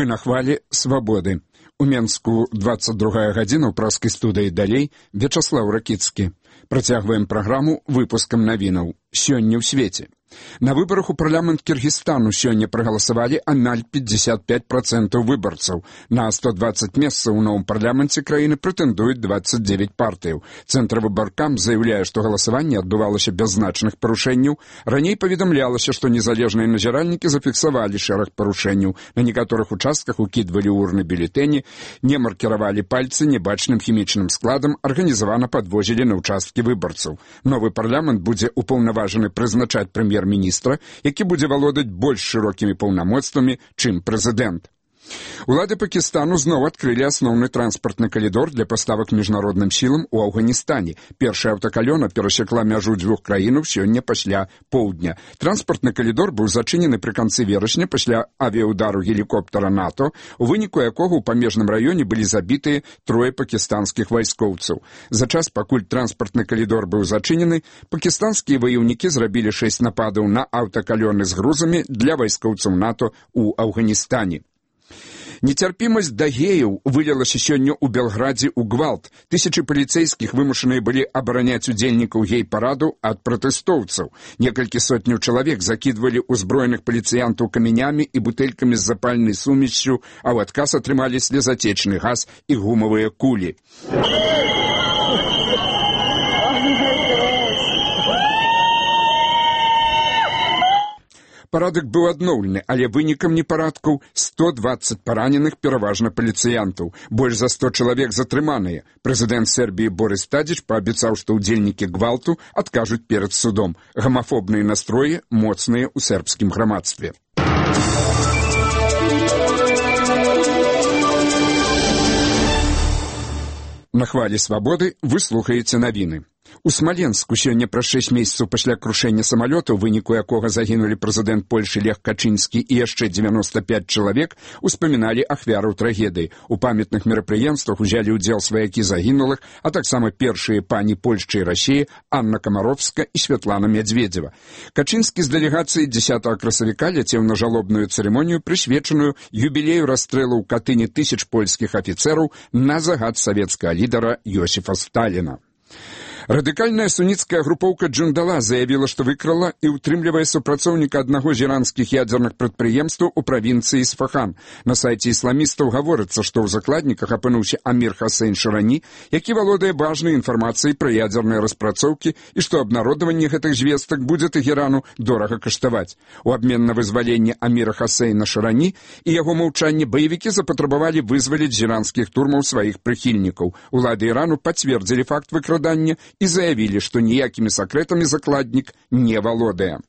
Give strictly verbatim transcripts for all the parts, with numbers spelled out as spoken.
Мы на хвалі свабоды. У Менску двадцать другая гадзіна ў праскай студыі далей Вячаслаў Ракіцкі. Працягваем праграму выпускам навінаў. Сёння ў свеце. На выбарах у парламент Кіргізстану сёння прагаласавалі амаль пятьдесят пять процентов выбарцаў. На сто двадцать месцаў у новым парламенце краіны прэтэндуюць двадцать девять партыяў. Цэнтравыбаркам заяўляе, што галасаванне адбывалася без значных парушэнняў. Раней паведамлялася, што незалежныя назіральнікі зафіксавалі шэраг парушэнняў. На некаторых участках укідвалі урны бюлетэні, не маркіравалі пальцы небачным хімічным складам, арганізавана падвозілі на ўчасткі выбарцаў. Новы парламент будзе упаўнаважаны прызначаць прэм'ер міністра, які будзе валодаць больш шырокімі паўнамоцтвамі, чым прэзідэнт. Улады Пакістану зноў адкрылі асноўны транспартны калідор для паставак міжнародным сілам у Афганістане. Першая аўтакалёна перасекла мяжу дзвюх краінаў сёння пасля поўдня. Транспартны калідор быў зачынены пры канцы верасня пасля авіяудару гелікоптера НАТО, у выніку якога ў памежным раёне былі забітыя трое пакістанскіх вайскоўцаў. За час, пакуль транспартны калідор быў зачынены, пакістанскія ваяўнікі зрабілі шэсць нападаў на аўтакалёны з грузамі для вайскоўцаў НАТО ў Афганістане. Нецярпімасць да геяў вылілася сёння ў Белградзе ў гвалт. Тысячы паліцэйскіх вымушаныя былі абараняць удзельнікаў гей-параду ад пратэстоўцаў. Некалькі сотняў чалавек закідвалі ўзброеных паліцыянтаў камянямі і бутэлькамі з запальнай сумессю, а ў адказ атрымалі слезатечны газ і гумавыя кулі. Парадак быў адноўлены, але вынікам непарадкаў сто двадцать параненых, пераважна паліцыянтаў. Больш за сто чалавек затрыманыя. Прэзідэнт Сербіі Борис Тадзіч паабяцаў, што ўдзельнікі гвалту адкажуць перад судом. Гамафобныя настроі моцныя ў сербскім грамадстве. На хвалі свабоды вы слухаеце навіны. У Смаленску сёння праз шэсць месяцаў пасля крушэння самалёта, у выніку якога загінулі прэзідэнт Польшы Лех Качынскі і яшчэ девяносто пять чалавек, успаміналі ахвяраў трагедыі. У памятных мерапрыемствах узялі ўдзел сваякі загінулых, а таксама першыя пані Польшчы і Расіі Анна Камаровска і Святлана Мядзведзева. Качынскі з дэлегацыяй дзесятага красавіка ляцеў на жалобную цырымонію, прысвечаную юбілею расстрэлу ў Катыні тысяч польскіх афіцэраў на загад савецкага лідара Йосіфа Сталіна. Радыкальная суніцкая групоўка Джундала заявіла, што выкрала і ўтрымлівае супрацоўніка аднаго з іранскіх ядзерных прадпрыемстваў у правінцыі Ісфахан. На сайце ісламістаў гаворыцца, што ў закладніках апынуўся Амір Хасейн Шырані, які валодае важнай інфармацыяй пра ядзерныя распрацоўкі і што абнародаванне гэтых звестак будзе Тэхерану дорага каштаваць. У абмен на вызваленне Аміра Хасейна Шырані і яго маўчанне баевікі запатрабавалі вызваліць з іранскіх турмаў сваіх прыхільнікаў. Улады Ірану пацвердзілі факт выкрадання і заявілі, што ніякімі сакрэтамі закладнік не валодае.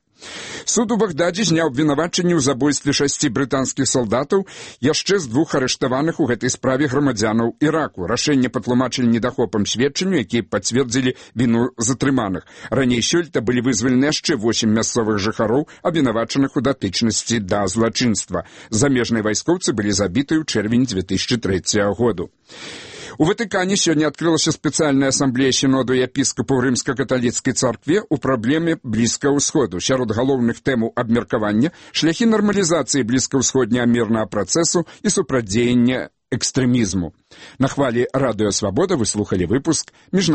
Суд у Багдадзе зняў абвінавачанні ў забойстве шасці брытанскіх салдатаў яшчэ з двух арыштаваных у гэтай справе грамадзянаў Іраку. Рашэнне патлумачылі недахопам сведчанню, якія пацвердзілі віну затрыманых. Раней сёлета былі вызвалены яшчэ восем мясцовых жыхароў, абвінавачаных у датычнасці да злачынства. Замежныя вайскоўцы былі забіты ў чэрвені две тысячи трэцяга году. У Ватыкане сёння адкрылася спецыяльная асамблея сіноду епіскапаў рымска-каталіцкай царкве ў праблеме Блізкага ўсходу. Сярод галоўных тэмаў абмеркавання шляхі нармалізацыі блізкаўсходняга мірнага працэсу і супрацьдзеяння экстрэмізму. На хвалі радыё Свабода вы слухалі выпуск міжнародных